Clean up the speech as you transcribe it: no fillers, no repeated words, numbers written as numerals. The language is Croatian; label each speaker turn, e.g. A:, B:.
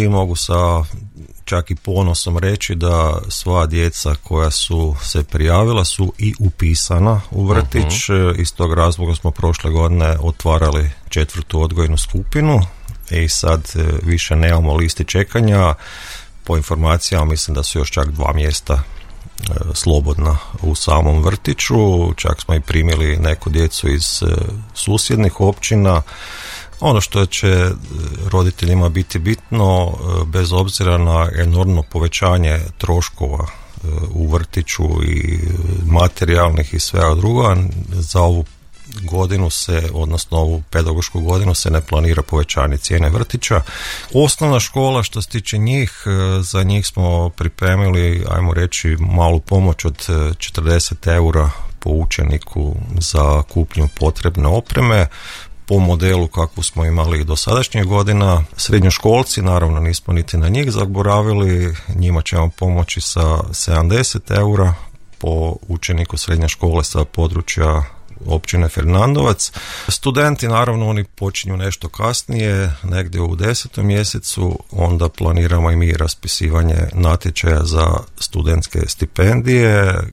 A: i mogu sa čak i ponosom reći da sva djeca koja su se prijavila su i upisana u vrtić. Iz tog razloga smo prošle godine otvarali 4. odgojnu skupinu i sad više nemamo listi čekanja. Po informacijama mislim da su još čak 2 mjesta slobodna u samom vrtiću. Čak smo i primili neku djecu iz susjednih općina. Ono što će roditeljima biti bitno, bez obzira na enormno povećanje troškova u vrtiću i materijalnih i svega druga, za ovu godinu odnosno ovu pedagošku godinu se ne planira povećanje cijene vrtića. Osnovna škola, što se tiče njih, za njih smo pripremili, ajmo reći, malu pomoć od 40 eura po učeniku za kupnju potrebne opreme, po modelu kakvu smo imali do sadašnjih godina. Srednjoškolci, naravno nismo niti na njih zaboravili, njima ćemo pomoći sa 70 eura po učeniku srednje škole sa područja općine Fernandovac. Studenti, naravno, oni počinju nešto kasnije, negdje u 10. mjesecu, onda planiramo i mi raspisivanje natječaja za studentske stipendije